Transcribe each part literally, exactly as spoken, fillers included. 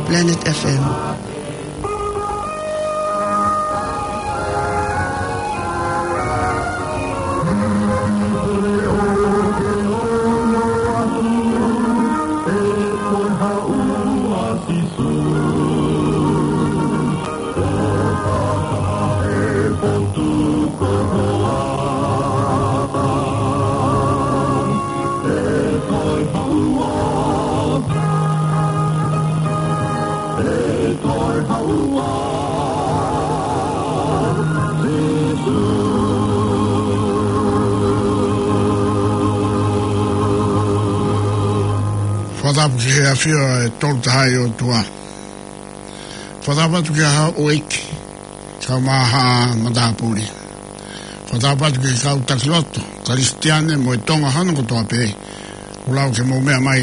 Planet F M. Fakatapu ki he ʻAfio ʻe Tolu Tahaʻi ʻOtua. Fakatapu atu ki he Houʻeiki, kae ʻumaʻā haʻa matāpule. Fakatapu atu ki he kau taki lotu Kalisitiane mo e Tonga hono kotoa pē, ʻoku lava ke mou meʻa mai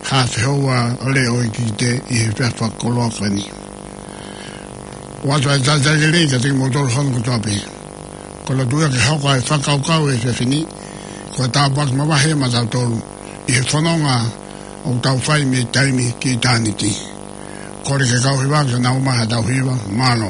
ha fehoua ʻo e leʻo ʻo e ʻEiki ʻi he efiafi fakakoloa ko eni. ʻOatu ʻa e talitali lelei kiate kimoutolu hono kotoa pē. Ko e lotu ia ke hoko ʻa e fakakaukau ʻo e efiafi ni ko e tāpuaki mavahe maʻatautolu ʻi he fononga ʻoku tau fai mei taimi ki ʻitāniti. Kole ke kau hiva, ke nau ʻomai haʻatau hiva. Mālō.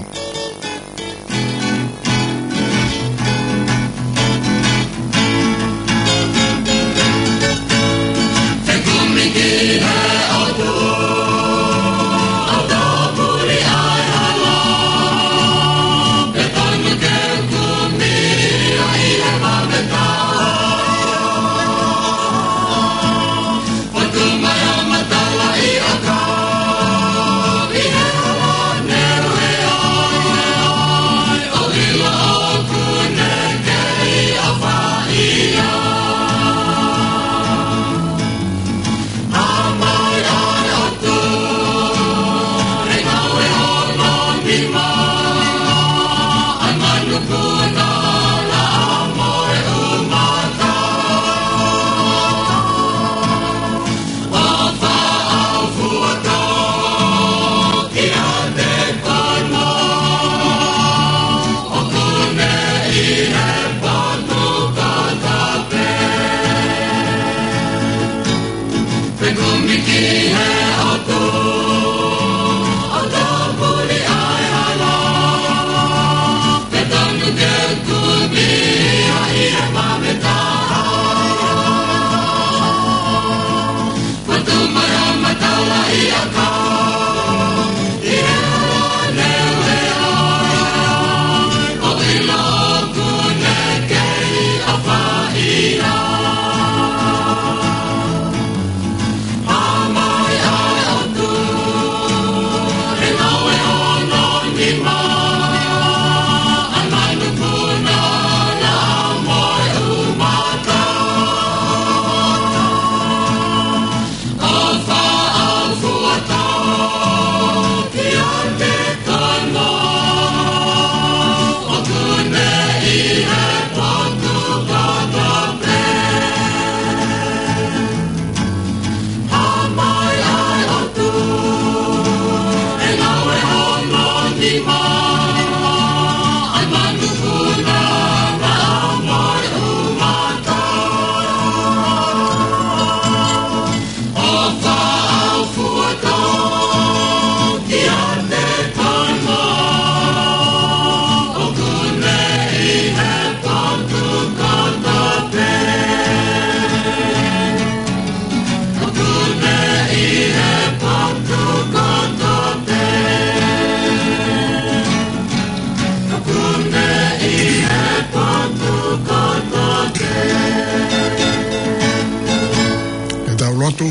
Ke tau lotu.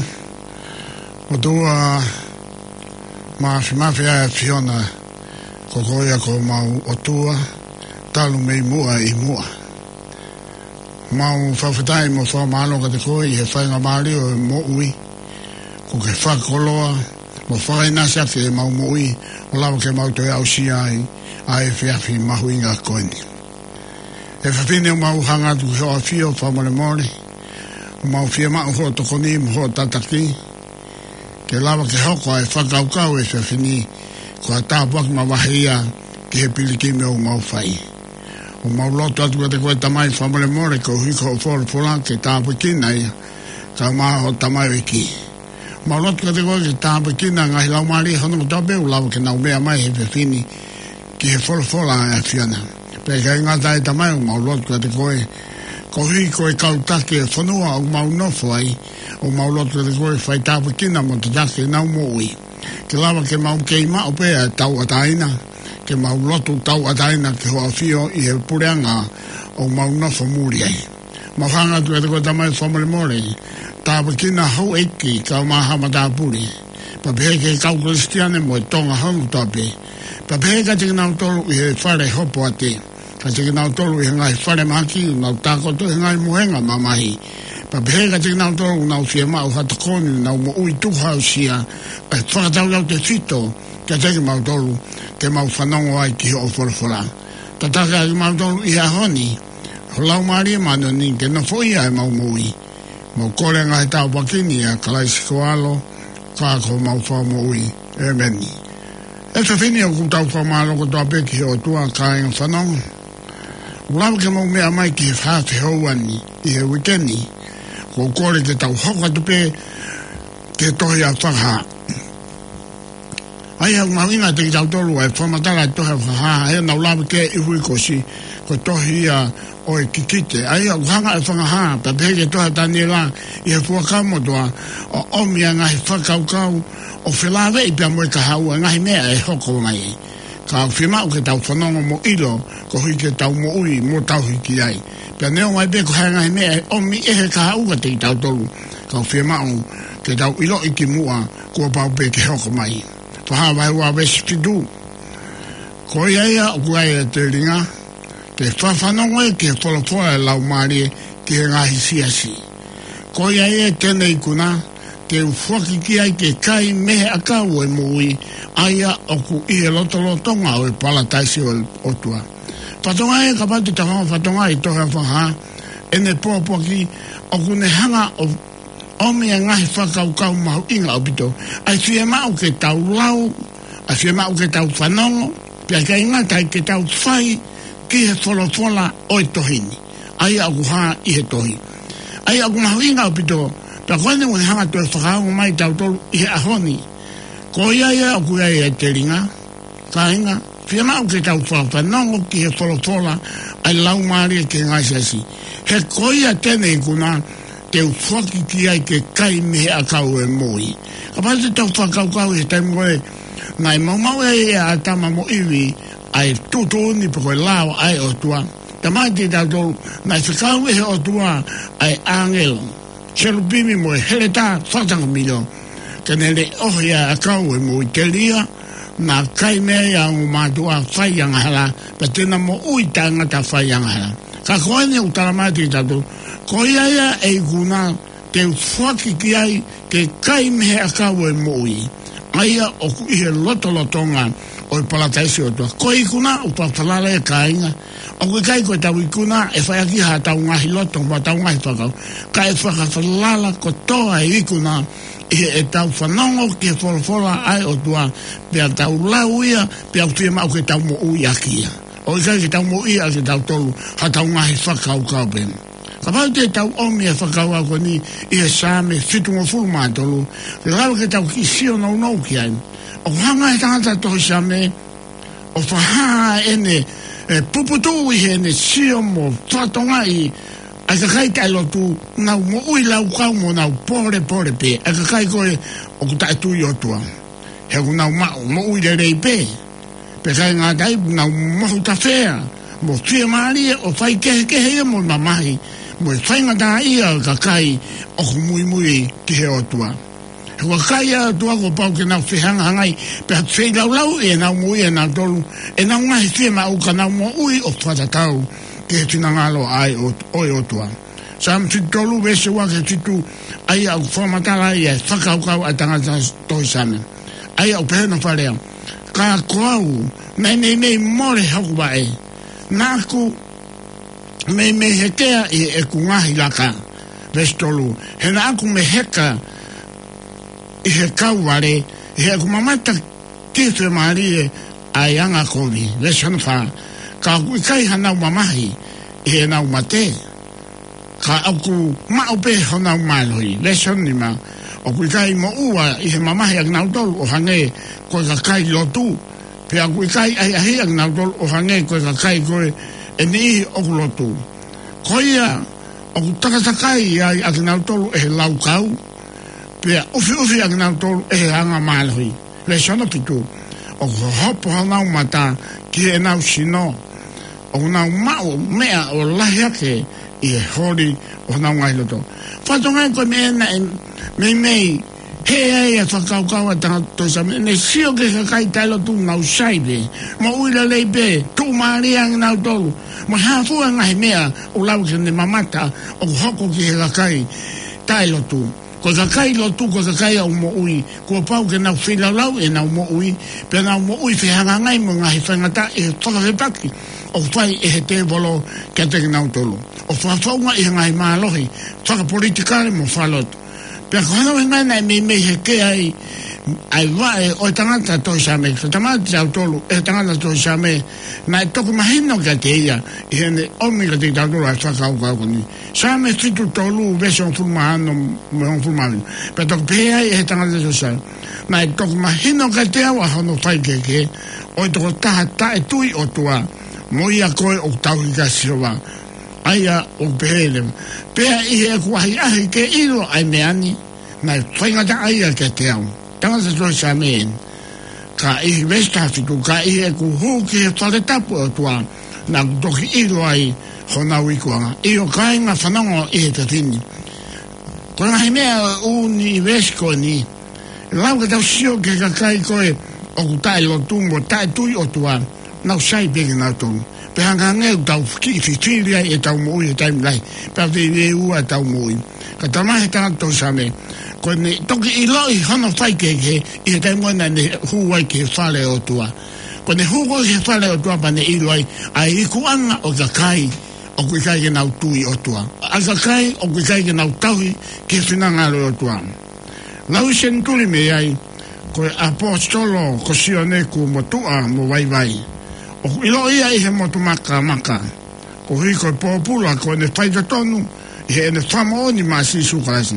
ʻOtua Māfimafi ʻa e ʻAfiona, ko koe ia ko homau ʻOtua, talu mei muʻa ʻi muʻa. Mau fakafetaʻi mo fakamālō kiate koe ʻi he faingamālie ʻo e moʻui, kuo ke fakakoloa mo fakaʻinasi ʻaki ʻemau moʻui, ʻo lava ke mau toe aʻusia ai ʻa e efiafi mahuʻinga ko eni. ʻE Fafine, ʻoku mau hanga atu ki hoʻo ʻAfio fakamolemole, ʻoku mau fiemaʻu hoʻo tokoni mo hoʻo tataki, ke lava ke hoko ʻa e fakakaukau ʻo e efiafi ni ko ha tāpuaki mavahe ia ki he pilikimi ʻoku mau fai. ʻOku mau lotu atu kiate koe Tamai fakamolemole koeʻuhi ko hoʻo folofola ke tāpuekina ia, kae ʻumaʻā hoʻo tamaioʻeiki. Mau lotu kiate koe ke tāpuekina e ngaahi laumālie hono kotoa pē ʻoku lava ke nau meʻa mai he efiafi ni ki he folofola ʻa e ʻAfiona. Pea ʻikai ngata ai Tamai, ʻoku mau lotu kiate koe, koeʻuhi ko e kau taki e fonua ʻoku mau nofo ai, ʻoku mau lotu kiate koe fai tāpuekina mo tataki ʻenau moʻui. Ke lava ke mau kei maʻu pē ʻa e tauʻatāina, ke mau lotu tauʻatāina ki hoʻo ʻafio ʻi he puleʻanga ʻoku mau nofo muli ai. Mau hanga atu kiate koe Tamai fakamolemole, tāpuekina houʻeiki kae ʻumaʻā haʻa matāpule. Pea pehē ki he kau Kalisitiane mo e Tonga hono kotoa pē. Pea pehē kiate kinautolu ʻi he fale hopoate. Kiate kinautolu ʻi he ngaahi falemahaki ʻoku nau tākoto he ngaahi mohenga mamahi. Pea pehē kiate kinautolu ʻoku nau fiemaʻu ha tokoni ʻenau moʻui tukuhausia. ʻE fakataulautefito kiate kimautolu ke mau fanongo ai ki hoʻo folofola. Tataki ʻa kimautolu ʻi he ʻaho ni, ho Laumālie Māʻoniʻoni ke nofoʻia ʻemau moʻui. Mau kole ngaahi tāpuaki ni ʻia Kalaisi ko ho ʻAlo, ka ko homau Fakamoʻui. ʻĒmeni. ʻE fefine ʻoku tau fakamālō kotoa pē ki he ʻOtua kāinga fanongo. ʻOku lava ke mau meʻa mai ki he fā fehoua ni ʻi he uike ni. ʻOku ou kole ke tau hoko atu pē ki he tohi ʻa Fakahā. ʻA ia ʻoku mahuʻinga kiate kitautolu ʻa e fakamatala ʻa e tohi ʻa Fakahā, ʻa ia naʻa ku lave ki ai ʻi he uike kuo ʻosi, ko e tohi ia ʻo e kikite. ʻA ia ʻoku hanga ʻe Fakahā, pea pehē ki he tohi ʻa Taniela ʻi he Fuakava Motuʻa, ʻo ʻomi ʻa e ngaahi fakakaukau ʻo felāveʻi pea mo e kahaʻu ʻa e ngaahi meʻa ʻe hoko mai. Ka ʻoku fiemaʻu ke tau fanongo mo ʻilo, koeʻuhi ke tau moʻui mo tauhi ki ai. Pea neongo ai pē ko e hā e ngaahi meʻa ʻe ʻomi ʻe he kahaʻu kiate kitautolu, ka ʻoku fiemaʻu ke tau ʻiloʻi kimuʻa kuo pau pē ke hoko mai. Fakahā vahe ua veesi fitu. Ko ia ia ʻoku ʻi ai e telinga ke fakafanongo ki he folofola ʻa e Laumālie ki he ngaahi siasi. Ko ia ia te ne ikuna, te u foaki ki ai ke kai mei he ʻakau ʻo e moʻui, ʻa ia ʻoku ʻi he lotolotonga ʻo e palataisi ʻo e ʻOtua. Fatongia ia, kapau te tau hanga ʻo fatongia ʻi he tohi ʻa Fakahā, ʻene pōpoaki ʻoku ne hanga ʻo ʻomi ʻa e ngaahi fakakaukau mahuʻinga ʻaupito. ʻA e fiemaʻu ke tau lau, ʻa e fiemaʻu ke tau fanongo, pea ʻikai ngata ai ke tau fai ki he folofola ʻo e tohi ni. ʻA ia ʻoku hā ʻi he tohi. ʻA ia ʻoku mahuʻinga ʻaupito, pea ko ʻene ʻoku ne hanga ʻo toe fakaongo mai kiate kitautolu ʻi he ʻaho ni. Ko ia ia ʻoku ʻi ai e telinga, kāinga, fiemaʻu ke tau fakafanongo ki he folofola ʻa e Laumālie ki he ngaahi siasi. He ko ia te ne ikuna, te u foaki ki ai ke kai mei he ʻakau ʻo e moʻui. Kapau te tau fakakaukau ʻi he taimi ko ē naʻe maumauʻi ai ʻa ʻĀtama mo ʻIvi ʻa e tuʻutuʻuni pe ko e lao ʻa e ʻOtua. Talamai kiate kitautolu naʻe fekau ʻe he ʻOtua ʻa e ʻāngelo, kerupimi mo e heletā fakatangamilo, ke ne leʻohi ʻa e ʻakau ʻo e moʻui, telia naʻa kai mei ai ʻa e ongo mātuʻa fai angahala, pea te na moʻui taʻengata fai angahala. Ka ko ʻene ʻoku talamai kiate kitautolu, ko ia ia ʻe ikuna, te u foaki ki ai ke kai mei he ʻakau ʻo e moʻui, ʻa ia ʻoku ʻi he lotolotonga ʻo e palataisi ʻo e ʻOtua. Ko e ikuna ʻoku fakafalala ia, kāinga. ʻOku ʻikai ko ʻetau ikuna ʻe fai ʻaki haʻatau ngaahi loto mo ʻetau ngaahi fakakaukau, ka ʻe fakafalala kotoa e ikuna ʻi heʻetau fanongo ki he folofola ʻa e ʻOtua, pea tau lau ia, pea ʻoku fiemaʻu ke tau moʻui ʻaki ia. ʻOku ʻikai ke tau moʻui ʻaki ʻetautolu haʻatau ngaahi fakakaukau pē. Kapau te tau ʻomi e fakakaukau ko eni ʻi he Saame fitungofulu mā tolu, ke lava ke tau kiʻi sio nounou ki ai. ʻOku hanga ʻe he tangata tohi Saame ʻo fakahā ʻene, ʻe, puputuʻu ʻi heʻene sio mo fakatokangaʻi ʻa e kakai taʻelotu, nau moʻui laukau mo nau pōlepole pē, ʻa e kakai ko ē ʻoku taʻetui ʻOtua. He ʻoku nau maʻu moʻui lelei pē, pea ʻikai ngata ai, nau mohu tafea mo fiemālie ʻo faikehekehe ia mo mamahi mo e faingataʻaʻia ʻo e kakai ʻoku muimui ki he ʻOtua. He ko e kakai ʻa e ʻOtua kuo pau ke nau fehangahangai pea feilaulauʻi ʻenau moʻui ʻanautolu, ʻenau ngaahi fiemaʻu, ka nau moʻui ʻo fakatatau ki he finangalo ʻa e ʻOt-, ʻo e ʻOtua. Saame fitu tolu veesi ua ki he fitu, ʻa ia ʻoku fakamatala ai ʻa e fakakaukau ʻa e tangata tohi Saame. ʻA ia ʻoku pehē hono fakalea: Ka ko au, naʻe meimei mole hoku vaʻe, naʻa ku meimei hekea ʻi heʻeku ngaahi laka. Veesi tolu: He naʻa ku meheka ʻi he kauvale, ʻi heʻeku mamata ki he fiemālie ʻa e angakovi. Veesi hono fā: Ka ʻoku ʻikai hanau mamahi ʻi heʻenau mate, ka ʻoku maʻu pē honau mālohi. Veesi hono nima: ʻOku ʻikai moʻua ʻi he mamahi ʻakinautolu ʻo hangē ko e kakai lotu, pea ʻoku ʻikai ʻahiʻahiʻi ʻakinautolu ʻo hangē ko e kakai ko ē ʻe niʻihi ʻoku lotu. Ko ia, ʻoku takatakai ai ʻakinautolu ʻe he laukau, pea ʻufiʻufi ʻakinautolu ʻe he anga mālohi. Veesi hono fitu, ʻoku hopo honau mata ki heʻenau sino, ʻoku nau maʻu meʻa ʻo lahi hake ʻi he holi ʻo honau ngaahi loto. Fatongia ko e meʻa naʻe meimei hē ai ʻa e fakakaukau ʻa e tangata tohi Saame, ne sio ki he kakai taʻelotu, nau sai pē, moʻui lelei pē, tuʻumālie ʻakinautolu, mo e hā fua e ngaahi meʻa ʻoku lava ke ne mamata ʻoku hoko ki he kakai taʻelotu. Ko e kakai lotu, ko e kakai ʻoku moʻui, kuo pau ke nau feilaulau ʻenau moʻui, pea nau moʻui fehangahangai mo e ngaahi faingataʻa ʻi he fakafepaki ʻoku fai ʻe he tēvolo kiate kinautolu, ʻo fakafounga ʻi he ngaahi mālohi fakapolitikale mo fakalotu. Pea ko hono ʻuhinga ia naʻe meimei heke ai ʻa e vaʻe ʻo e tangata tohi Saame, ko e tangata tautolu, ʻe he tangata tohi Saame, naʻe toki mahino kiate ia, ʻi heʻene ʻomi kiate kitautolu ʻa e fakakaukau ko eni. Saame fitu tolu, veesi hongofulu mā ono mo e hongofulu mā fitu. Pea toki pehē ai ʻe he tangata tohi Saame, naʻe toki mahino kiate au ʻa hono faikehekehe, ʻo e tokotaha taʻetui ʻOtua, mo ia ko ē ʻoku tauhi kia Sihova. ʻA ia ʻoku pehē leva, pea ʻi heʻeku ʻahiʻahi ke ʻilo ʻa e meʻa ni, naʻe faingataʻa ia kiate au. Tangata tohi Saame eni. Ka ʻi he veesi taha fitu, ka ʻi heʻeku hū ki he fale tapu ʻo e ʻOtua, naʻá ku toki ʻilo ai honau ikuʻanga. ʻIo kāinga, fanongo ʻi he efiafi ni. Ko e ngaahi meʻa ʻo e ʻū veesi ko eni, ʻe lava ke tau sio ki he kakai ko ē ʻoku taʻelotu mo taʻetui ʻOtua, nau sai pē kinautolu. Pea hangē ʻoku tau kiʻi fifili ai ʻetau moʻui he taimi lahi, pea veiveiua ʻetau moʻui. Ka talamai ʻe he tangata tohi Saame, ko ʻene toki ʻiloʻi hono faikehekehe ʻi he taimi ko ē naʻá ne hū ai ki he fale ʻo e ʻOtua. Ko ʻene hū ko ē ki he fale ʻo e ʻOtua pea ne ʻilo ai ʻa e ikuʻanga ʻo e kakai ʻoku ʻikai ke nau tui ʻOtua, ʻa e kakai ʻoku ʻikai ke nau tauhi ki he finangalo ʻo e ʻOtua. Lau senituli mei ai, ko e ʻaposetolo ko Sione kuo motuʻa mo vaivai. ʻOku ʻiloʻi ia ʻi he motu makamaka, koeʻuhi ko e pōpula ko ʻene faitotonu ʻi heʻene fakamoʻoni maʻa Sīsū Kalaisi.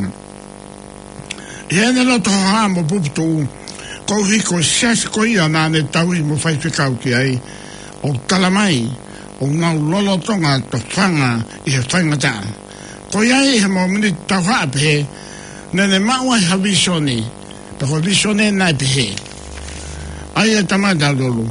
ʻI heʻene loto hohaʻa mo puputuʻu, koeʻuhi ko e siasi ko ia naʻá ne tauhi mo faifekau ki ai, ʻoku talamai ʻoku nau lolotonga tofanga ʻi he faingataʻa. Ko ia ai ʻi he mōmeniti tauhaʻa pehē, naʻá ne maʻu ai ha vīsone, pea ko e vīsone naʻe pehē. ʻA ia tama tautolu,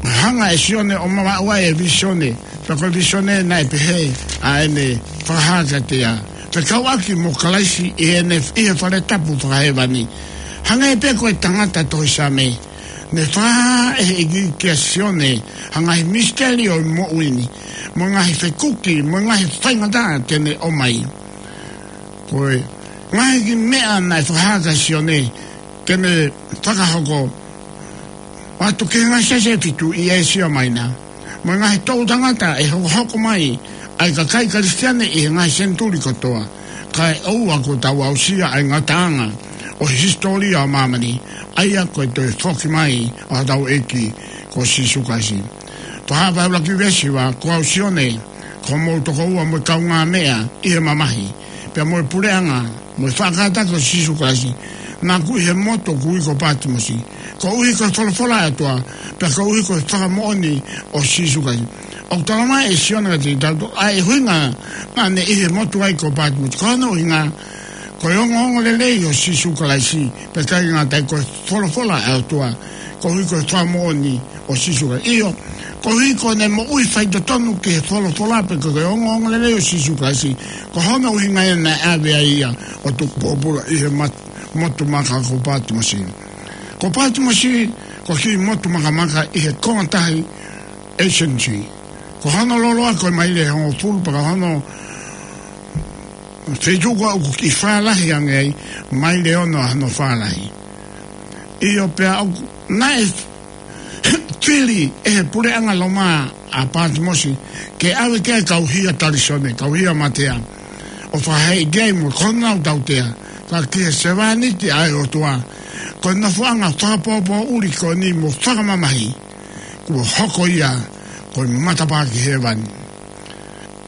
hanga ʻe Sione ʻo maʻu ai e vīsone, pea ko e vīsone naʻe pehē ʻa ʻene fakahā kiate ia, fekauʻaki mo Kalaisi ʻi heʻene, ʻi he fale tapu fakahēvani. Hangē pē ko e tangata tohi Saame, ne fakahā ʻe he ʻEiki kia Sione ha ngaahi misiteli ʻo e moʻui ni, mo e ngaahi fekuki, mo e ngaahi faingataʻa te ne ʻomai. Ko e ngaahi kiʻi meʻa naʻe fakahā kia Sione te ne fakahoko, ʻo aʻu ki he ngaahi siasi ʻe fitu ʻi ʻĒsia Maina, mo e ngaahi toʻutangata ʻe hokohoko mai ʻa e kakai Kalisitiane ʻi he ngaahi senituli kotoa, kae ʻoua kuo tau aʻusia ʻa e ngataʻanga ʻo e hisitōlia ʻo māmani, ʻa ia ko e toe foki mai ʻa hotau ʻEiki ko Sīsū Kalaisi. Fakahā ʻe he ʻuluaki veesi hiva, ko au Sione, ko hoʻomou tokoua mo e kaungāmeʻa ʻi he mamahi, pea mo e puleʻanga, mo e faʻa kātaki ʻo Sīsū Kalaisi, naʻá ku ʻi he motu ʻoku ui ko Pātimosi, koeʻuhi ko e folofola ʻa e ʻOtua, pea koeʻuhi ko e fakamoʻoni ʻo Sīsū Kalaisi. ʻOku talamai ʻe Sione kiate kitautolu ʻa e ʻuhinga naʻá ne ʻi he motu ai ko Pātimosi. Ko hono ʻuhinga, ko e ongoongolelei ʻo Sīsū Kalaisi, pea ʻikai ngata ai, ko e folofola ʻa e ʻOtua, koeʻuhi ko e fakamoʻoni ʻo Sīsū Kalaisi. ʻIo, koeʻuhi ko ʻene moʻui faitotonu ki he folofola pea ko e ongoongolelei ʻo Sīsū Kalaisi, ko hono ʻuhinga ia naʻe ʻave ai ia ʻo tuku pōpula ʻi he mat-, motu maka ko Pātimosi. Ko Pātimosi, ko e kiʻi motu makamaka ʻi he konga tahi Aegean Sea. Ko hono loloa ko e maile ʻe hongofulu, pea ko hono feituʻu ko ē ʻoku kiʻi fālahi ange ai, maile ʻe ono ʻa hono fālahi. ʻIo, pea ʻoku, naʻe fili ʻe he puleʻanga Loma ʻa Pātimosi ke ʻave ki ai e kau hia talisone, kau hia matea, ʻo fakahēʻi ki ai mo honau tautea, ka ki he sevāniti ʻa e ʻOtua, ko e nofoʻanga fakapōpōʻuli ko eni mo fakamamahi, kuo hoko ia ko e matapā ki hēvani.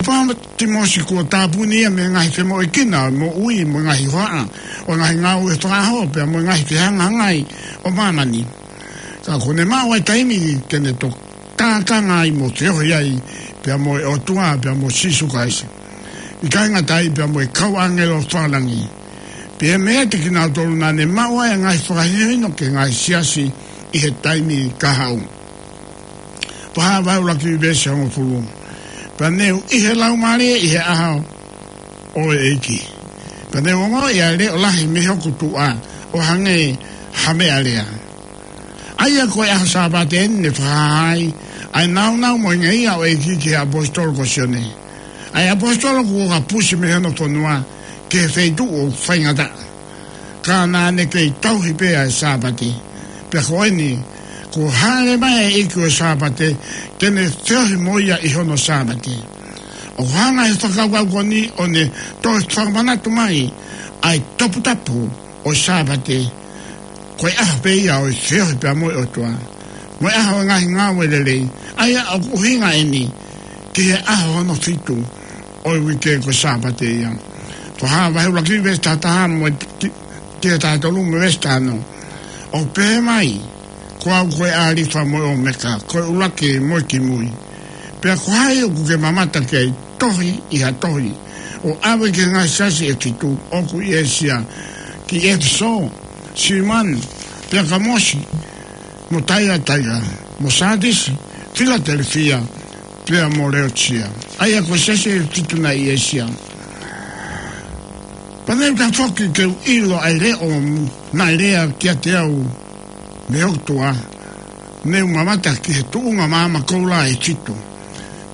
Pātimiosi kuo tāpuni ia mei he ngaahi femoʻuekina ʻo e moʻui mo e ngaahi hohaʻa ʻo e ngaahi ngāue fakaʻaho pea mo e ngaahi fehangahangai ʻo māmani. Ka kuo ne maʻu ʻa e taimi ke ne toki tākanga ai mo feohi ai pea mo e ʻOtua pea mo Sīsū Kalaisi. ʻIkai ngata ai pea mo e kau ʻāngelo fakalangi. Pea mei he kinautolu naʻa ne maʻu ai ʻa e ngaahi fakahinohino ki he ngaahi siasi ʻi he taimi kahaʻu. Fakahā vahe ʻuluaki veesi hongofulu. Pea ne u ʻi he Laumālie ʻi he ʻaho ʻo e ʻEiki. Pea ne u ongoʻi ʻa e leʻo lahi mei hoku tuʻa ʻo hangē ha meʻalea. ʻA ia ko e ʻaho Sāpate eni ne fakahā ai ʻa e nāunau mo e ngeia ʻo e ʻEiki ki he ʻaposetolo ko Sione. ʻA e ʻaposetolo kuo kapusi mei hono fonua ki he feituʻu ʻoku faingataʻa. Ka naʻa ne kei tauhi pē ʻa e Sāpate. Pea ko eni, kuo hāʻele mai ʻa e ʻEiki ʻo e Sāpate, ke ne feohi mo ia ʻi hono Sāpate. ʻOku hanga ʻe he fakakaukau ko eni ʻo ne toe fakamanatu mai ʻa e toputapu ʻo e Sāpate, ko e ʻaho pē ia ʻo e feohi pea mo e ʻOtua. Mo e ʻaho ʻo e ngaahi ngāue lelei, ʻa ia ʻoku ʻuhinga eni ki he ʻaho hono fitu ʻo e uike ko e Sāpate ia. Fakahā vahe ʻuluaki veesi taha taha mo e ki, ki he taha tolu mo e veesi taha ono. ʻOku pehē mai, ko au ko e ʻAlifa mo e ʻOmeka, ko e ʻuluaki mo e kimui. Pea ko hai ʻoku ke mamata ki ai, tohi ʻi ha tohi, ʻo ʻave ki he ngaahi siasi ʻe fitu ʻoku ʻi ʻĒsia, ki ʻEfesō, Simana, Peakamosi, mo Taiataira, mo Sātisi, Filatelefia, pea mo Leotisia. ʻA ia ko e siasi ʻe fitu naʻe ʻi ʻĒsia. Pea ne u tafoki ke u ʻilo ʻa e leʻo naʻe lea kiate au mei hoku tuʻa, ne u mamata ki he tuʻunga maama koula ʻe fitu.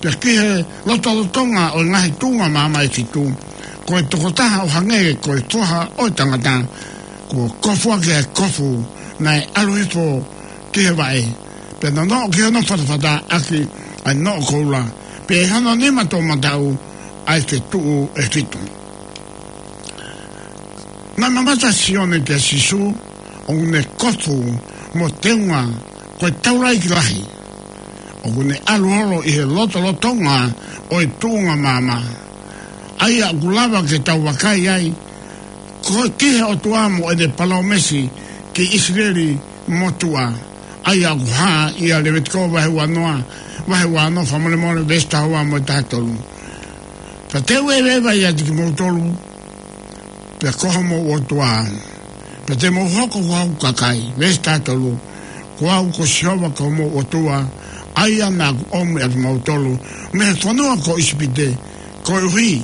Pea ki he lotolotonga ʻo e ngaahi tuʻunga maama ʻe fitu, ko e tokotaha ʻo hangē ko e Foha ʻo e tangata, kuo kofuʻaki ʻa e kofu naʻe ʻalu hifo ki he vaʻe, pea nonoʻo ki hono fatafata ʻaki ʻa e noʻo koula, pea ʻi hono nima toʻomataʻu ʻa e fetuʻu ʻe fitu. Naʻe mamata ʻa Sione kia Sīsū, ʻoku ne kofu mo teunga ko e taulaʻeiki lahi, ʻoku ne ʻalu holo ʻi he lotolotonga ʻo e tuʻunga maama. ʻA ia ʻoku lava ke tau vakai ai, ko e ki he ʻOtua mo ʻene palōmesi ki ʻIsileli motuʻa. ʻA ia ʻoku hā ʻia Levitiko vahe uanoa, vahe uanoa fakamolemole veesi taha ua mo e taha tolu. Pea te u ʻeveʻeva ʻiate kimoutolu, pea ko homou ʻOtua, pea te mou hoko ko hoku kakai. Veesi taha tolu. Ko au ko Sihova ko homou ʻOtua, ʻa ia naʻa ku ʻomi ʻa kimoutolu mei he fonua ko ʻIsipite, koeʻuhi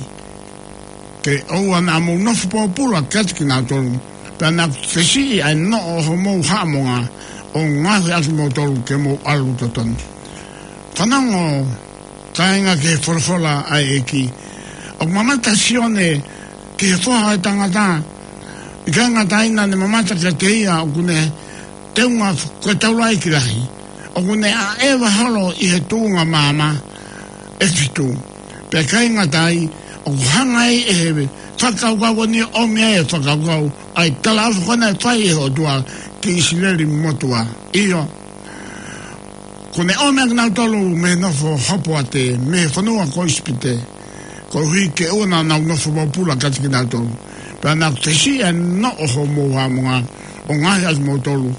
ke ʻoua naʻa mou nofo pōpula kiate kinautolu, pea naʻa ku fesiʻi ʻa e noʻo ʻo homou haʻamonga, ʻo ngaohi ʻa kimoutolu ke mou ʻalu totonu. Fanongo, kāinga, ki he folofola ʻa e ʻEiki. ʻOku mamata ʻa Sione ki he Foha ʻo e tangata, ʻikai ngata ai naʻa ne mamata kiate ia ʻoku ne teunga ko e taulaʻeiki lahi, ʻoku ne ʻaʻeva holo ʻi he tuʻunga maama ʻe fitu. Pea ʻikai ngata ai, ʻoku hanga ai ʻe he fakakaukau ko eni ʻo ʻomi ai e fakakaukau ʻa e talaʻofa ko ē naʻe fai ʻe he ʻOtua ki ʻIsileli motuʻa. ʻIo, kuo ne ʻomi ʻa kinautolu mei he nofo hopoate, mei he fonua ko ʻIsipite, koeʻuhi ke ʻoua naʻa nau nofo pōpula kiate kinautolu. Pea naʻa ku fesiʻi ʻa e noʻo ʻo homou haʻamonga, ʻo ngaohi ʻa kimoutolu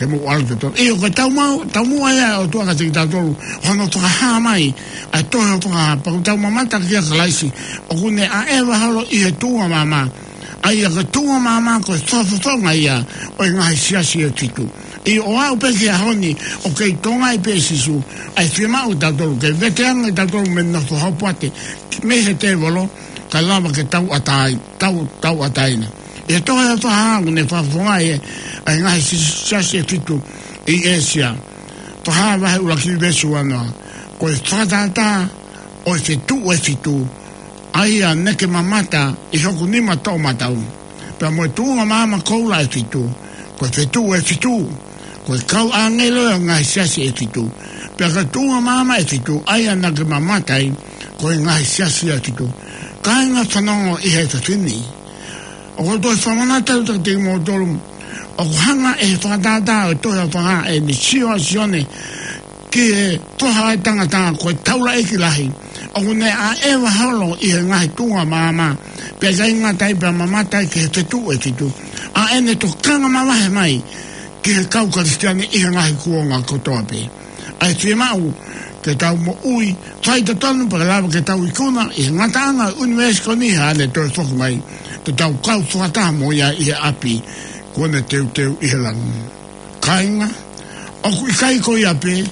ke mou ʻalu totonu. ʻIo, ko e taumuʻa, taumuʻa ia ʻa e ʻOtua kiate kitautolu, hono fakahā mai ʻa e tohi Fakahā, pea ʻoku tau mamata kia Kalaisi, ʻoku ne ʻaʻeva holo ʻi he tuʻunga maama. ʻA ia ko e tuʻunga maama ko e fakafofonga ia ʻo e ngaahi siasi ʻe fitu. ʻIo, ʻo aʻu pē ki he ʻaho ni, ʻoku kei tokangaʻi pē ʻe Sīsū ʻa e fiemaʻu ʻatautolu ke veteange kitautolu mei he nofo hopoate mei he tēvolo, kae lava ke tauʻatāina, tau, tauʻatāina. ʻI he tohi ʻa Fakahā ʻoku ne fakafofongaʻi ʻa e ngaahi si-, siasi ʻe fitu ʻi ʻĒsia. Fakahā vahe ʻuluaki veesi uanoa. Ko e fakatātā ʻo e fetuʻu ʻe fitu, ʻa ia naʻa ke mamata ʻi hoku nima toʻomataʻu. Pea mo e tuʻunga maama koula ʻe fitu, ko e fetuʻu ʻe fitu, ko e kau ʻāngelo ʻo e ngaahi siasi ʻe fitu. Pea ko e tuʻunga maama ʻe fitu, ʻa ia naʻa ke mamata ai, ko e ngaahi siasi ʻe fitu. Kāinga, fanongo ʻi he efiafi ni. ʻOku ou toe fakamanatu atu kiate kimoutolu, ʻoku hanga ʻe he fakatātā ʻo e tohi ʻa Fakahā ʻo ne sio ʻa Sione ki he Foha ʻo e tangata ko e taulaʻeiki lahi, ʻoku ne ʻaʻeva holo ʻi he ngaahi tuʻunga maama, pea ʻikai ngata ai pea mamata ai ki he fetuʻu ʻe fitu, ʻa ʻene tokanga mavahe mai ki he kau Kalisitiane ʻi he ngaahi kuonga kotoa pē. ʻA e fiemaʻu ke tau moʻui faitotonu pea lava ke tau ikuna ʻi he ngataʻanga ʻo e ʻunivēsi ko eni haʻane toe foki mai, te tau kau fakataha mo ia ʻi he ʻapi kuo ne teuteu ʻi he langi. Kāinga, ʻoku ʻikai ko ia pē,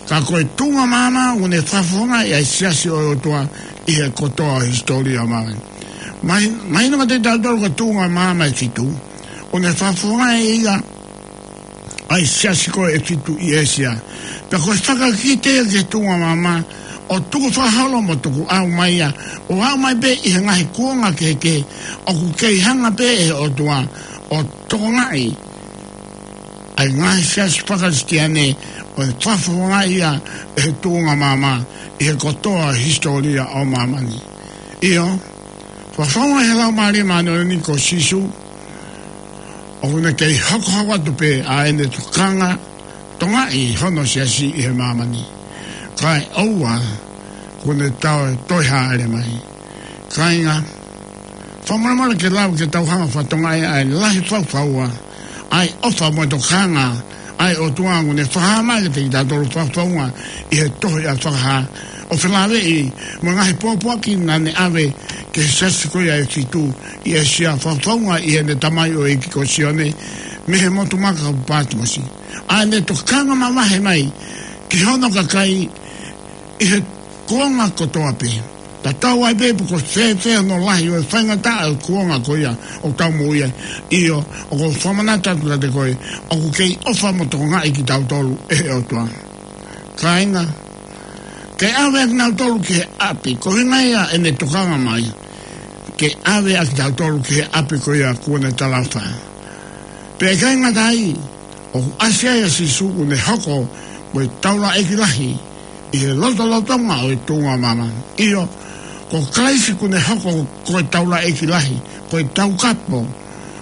ka ko e tuʻunga maama ʻoku ne fakafofongaʻi ʻa e siasi ʻo e ʻOtua ʻi he kotoa ʻo e hisitōlia ʻo māmani. Mai, mahino kiate kitautolu ko e tuʻunga maama ʻe fitu, ʻoku ne fakafofongaʻi ia ʻa e siasi ko ē ʻe fitu ʻi ʻĒsia. Pea ko e fakakite ia ki he tuʻunga maama, ʻo tukufakaholo mo tukuʻau mai ia, ʻo aʻu mai pē ʻi he ngaahi kuonga kehekehe, ʻoku kei hanga pē ʻe he ʻOtua ʻo tokangaʻi ʻa e ngaahi siasi faka-Kalisitiane ʻo ne fakafofongaʻi ia ʻe he tuʻunga maama ʻi he kotoa ʻo e hisitōlia ʻo māmani. ʻIo, fakafofongaʻi ʻe he Laumālie Māʻoniʻoni ko Sīsū, ʻoku ne kei hokohoko atu pē ʻa ʻene tokanga tokangaʻi hono siasi ʻi he māmani. Kae ʻoua kuo ne toe, toe hāʻele mai. Kāinga, fakamolemole ke lava ke tau hanga ʻo fakatokangaʻi ʻa e lahi faufaua ʻa e ʻofa mo e tokanga ʻa e ʻOtua ʻoku ne fakahā mai kiate kitautolu fakafofonga ʻi he tohi ʻa Fakahā, ʻo felāveʻi mo e ngaahi pōpoaki naʻa ne ʻave ki he siasi ko ia ʻe fitu ʻi ʻĒsia, fakafofonga ʻi heʻene tamaioʻeiki ko Sione mei he motu maka ko Pātimosi. ʻA ʻene tokanga mavahe mai ki hono kakai ʻi he kuonga kotoa pē. Tatau ai pē pe ko e fēfē hono lahi ʻo e faingataʻa ʻo e kuonga ko ia ʻoku tau moʻui ai, ʻio, ʻoku ou fakamanatu atu kiate koe, ʻoku kei ʻofa mo tokangaʻi kitautolu ʻe he ʻOtua. Kāinga, ke ʻave ʻa kinautolu ki he ʻapi, ko e ʻuhinga ia ʻene tokanga mai ke ʻave ʻa kitautolu ki he ʻapi ko ia kuo ne talaʻofa. Pea ʻikai ngata ai, ʻoku ʻasi ai ʻa Sīsū kuo ne hoko ko e taulaʻeiki lahi ʻi he lotolotonga ʻo e tuʻunga maama. ʻIo, ko Kalaisi kuo ne hoko ko e taulaʻeiki lahi, ko e taukapo,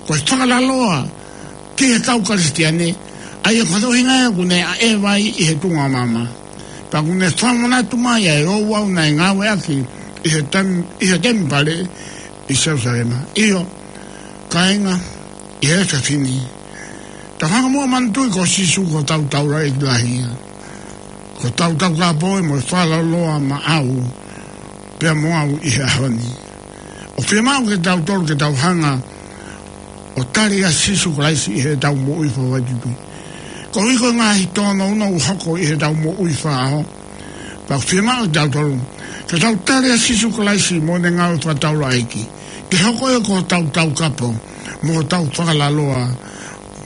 ko e fakalaloa ki he kau Kalisitiane, ʻa ia ko hono ʻuhinga ia kuo ne ʻaʻeva ai ʻi he tuʻunga maama. Pea kuo ne fakamanatu mai ʻa e ouau naʻe ngāueʻaki ʻi he tem-, ʻi he temipale ʻi Selūsalema. ʻIo, kāinga, ʻi he efiafi ni, tau hanga muʻa ʻo manatuʻi ko Sīsū ko hotau taulaʻeiki lahi ia. Ko hotau taukapo ia mo e fakalaloa maʻau pea mo au ʻi he ʻaho ni. ʻOku fiemaʻu ke tautolu ke tau hanga ʻo tali ʻa Sīsū Kalaisi ʻi heʻetau moʻui fakafoʻituitui. Koeʻuhi ko e ngaahi tōnounou ʻoku hoko ʻi heʻetau moʻui fakaʻaho, pea ʻoku fiemaʻu kitautolu ke tau tali ʻa Sīsū Kalaisi mo ʻene ngāue fakataulaʻeiki, ke hoko ia ko hotau taukapo, mo hotau fakalaloa,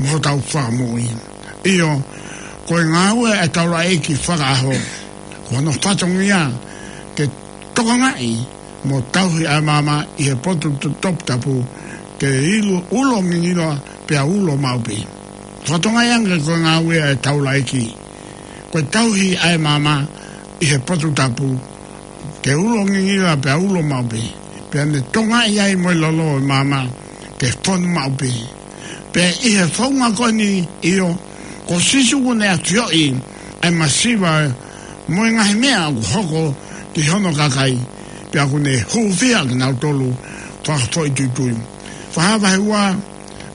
mo hotau fakamoʻui. ʻIo, ko e ngāue ʻa e taulaʻeiki fakaʻaho, ko hono fatongia ke tokangaʻi mo tauhi ʻa e maama ʻi he potu to-, toputapu, ke ilo, ulo ngingila pea ulo maʻu pē. Fakatokangaʻi ange ko e ngāue ʻa e taulaʻeiki ko e tauhi ʻa e maama ʻi he potu tapu, ke ulo ngingila pea ulo maʻu pē, pea ne tokangaʻi ai mo e lolo ʻo e maama ke fonu maʻu pē. Pea ʻi he founga ko eni, ʻio, ko Sīsū kuo ne ʻafioʻi ʻa e masiva mo e ngaahi meʻa ʻoku hoko ki hono kakai, pea kuo ne hūfia kinautolu fakafoʻituitui. Fakahā vahe ua,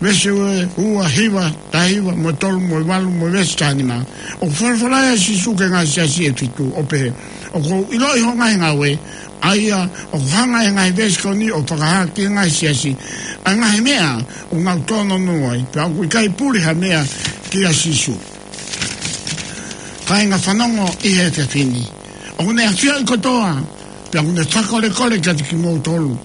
veesi ua, hiva, taha hiva, mo e tolu, mo e valu, mo e veesi taha nima. ʻOku folofola ʻa Sīsū ki he ngaahi siasi ʻe fitu, ʻo pehē: ʻOku ou ʻiloʻi hoʻo ngaahi ngāue, ʻa ia ʻoku hanga ʻe he ngaahi veesi ko eni ʻo fakahā ki he ngaahi siasi ʻa e ngaahi meʻa ʻoku nau tōnounou ai, pea ʻoku ʻikai puli ha meʻa kia Sīsū. Kāinga, fanongo ʻi he efiafi ni. ʻOku ne ʻafioʻi kotoa, pea ʻoku ne fakakolekole kiate kimoutolu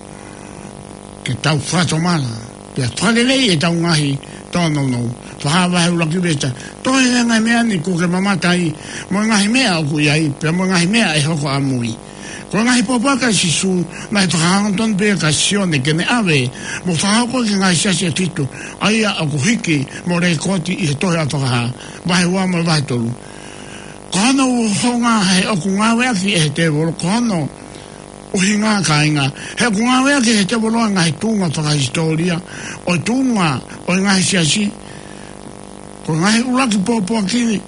ke tau fakatomala, pea fakaleleiʻi ʻetau ngaahi tōnounou. Fakahā vahe ʻuluaki veesi taha: Tohi ʻa e ngaahi meʻa ni kuo ke mamata ai, mo e ngaahi meʻa ʻoku ʻi ai, pea mo e ngaahi meʻa ʻe hoko ʻamui. Ko e ngaahi pōpoaki ʻa Sīsū naʻe fakahangatonu pē kia Sione ke ne ʻave mo fakahoko ki he ngaahi siasi ʻe fitu, ʻa ia ʻoku hiki mo lekooti ʻi he tohi ʻa Fakahā, vahe ua mo e vahe tolu. Ko hono uho ngā he ʻoku ngāueʻaki ʻe he tēvolo, ko hono ʻuhinga, kāinga, he ʻoku ngāueʻaki ʻe he tēvolo ʻa e ngaahi tuʻunga fakahisitōlia ʻo e tuʻunga ʻo e ngaahi siasi. Ko e ngaahi ʻuluaki pōpoaki ni,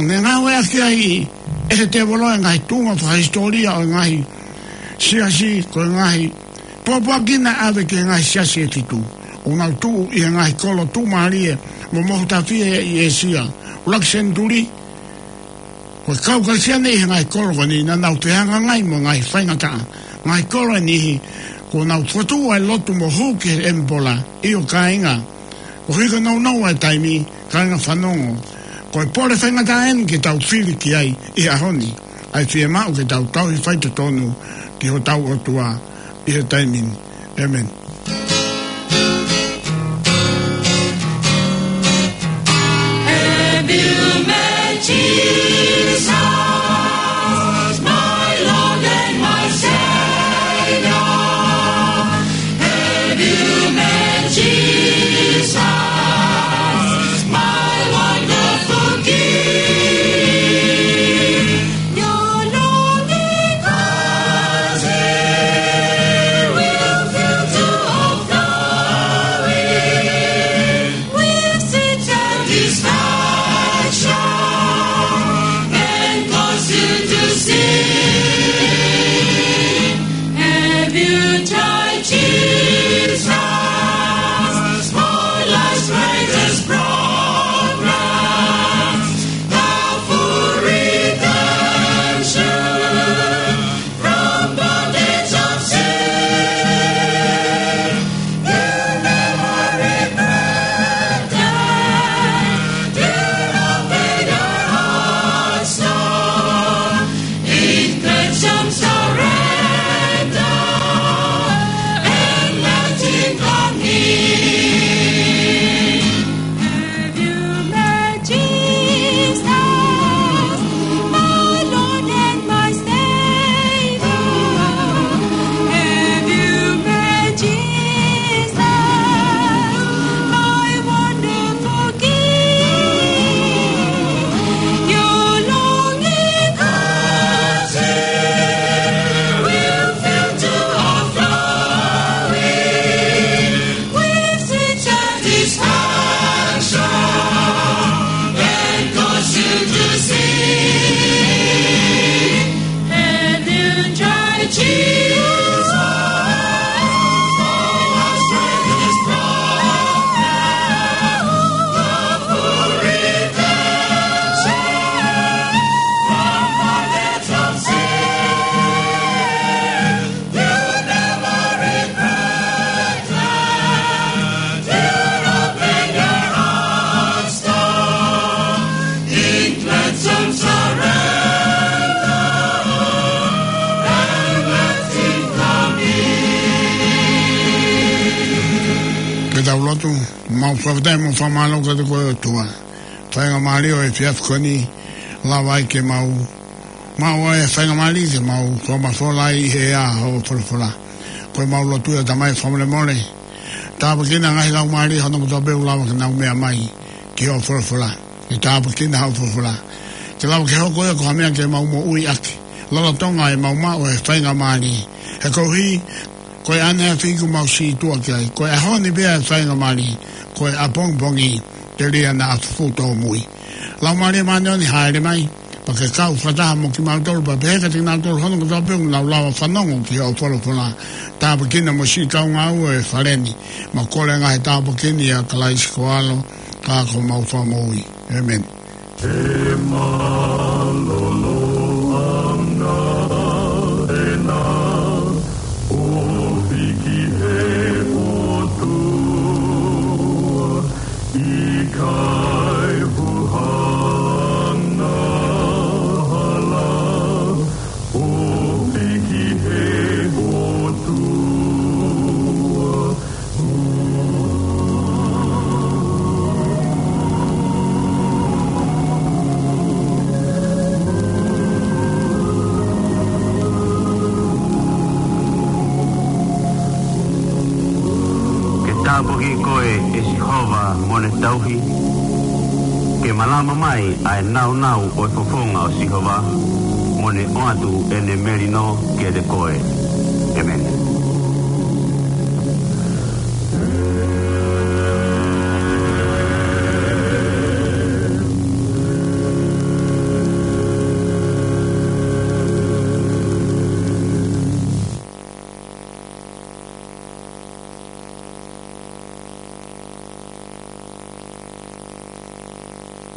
ne ngāueʻaki ai ʻe he tēvolo ʻa e ngaahi tuʻunga fakahisitōlia ʻo e ngaahi Siasi, ko e ngaahi pōpoaki naʻe ʻave ki he ngaahi siasi ʻe fitu, ʻoku nau tuʻu ʻi he ngaahi kolo tuʻumālie mo mohu tafi ʻi ʻĒsia. ʻUluaki senituli, ko e kau Kalisitiane ʻi he ngaahi kolo ko eni naʻa nau fehangahangai mo e ngaahi faingataʻa. Ngaahi kolo ʻe niʻihi, kuo nau fokotuʻu ʻa e lotu mo hū ki he ʻemipola. ʻIo kāinga, ko e hiko nounou ʻa e taimi, kāinga fanongo. Ko e pole faingataʻa eni ke tau fili ki ai ʻi he ʻaho ni, ʻa e fiemaʻu ke tau tauhi faitotonu ki hotau ʻOtua ʻi he taimi ni. ʻĒmeni. Have you met Jesus, my Lord and my Savior? Have you met Jesus, my wonderful King? Your lonely cause he will fill to overflowing with sweet satisfaction and cause you to sing. Have you tried Jesus? For life's greatest progress, the full redemption from bondage of sin. You never regret that. You obey your heart's song. In cleansing surrender and let him come in. Have you met Jesus, my Lord and my Savior? Have you met Jesus, my wonderful King? Your lonely cause he will fill to overflowing with sweet satisfaction and cause you to sing. Have you tried Jesus? For us strength is brought, the full redemption from bondage of sin. You never regret that. You open your hearts to in cleansing surrender and let him come in. Ke tau lotu. Mau fakafetaʻi mo fakamālō kiate koe ʻOtua. Faingamālie ʻo e efiafi ko eni, lava ai ke mau maʻu ʻa e faingamālie ke mau fakamafola ai ʻi he ʻea hoʻo folofola. Ko e mau lotu ia Tamai fakamolemole. Tāpuekina ngaahi laumālie hono kotoa pē ʻoku lava ke nau meʻa mai ki hoʻo folofola. Ke tāpuekina hoʻo folofola. Ke lava ke hoko ia ko ha meʻa ke mau moʻui ʻaki. Lolotonga ʻemau maʻu ʻa e faingamālie. He koeʻuhi ko e ʻaneafi ʻoku mau sītuʻa ki ai. Ko e ʻaho ni pē ʻa e faingamālie. Ko e ʻapongipongi telia naʻa fufū tōmui. Laumālie Māʻoniʻoni, hāʻele mai, pea ke kau fakataha mo kimautolu, pea pehē kiate kinautolu hono kotoa pē ʻoku nau lava fanongo ki hoʻo folofola. Tāpuekina mo siʻi kaungāue ʻo e fale ni, mo e kole ngaahi tāpuaki ni ʻia Kalaisi ko ho ʻAlo, ka ko homau Fakamoʻui. ʻĒmeni. He mālōlō ʻanga ʻena ofi ki he ʻOtua, ʻikai huhana hala, ofi ki he ʻOtua. Ke tāpuaki koe ʻe Sihova mo ʻene tauhi, ke malama mai ʻa e nāunau ʻo e fofonga ʻo Sihova, mo ne ʻoatu ʻene melino kiate koe.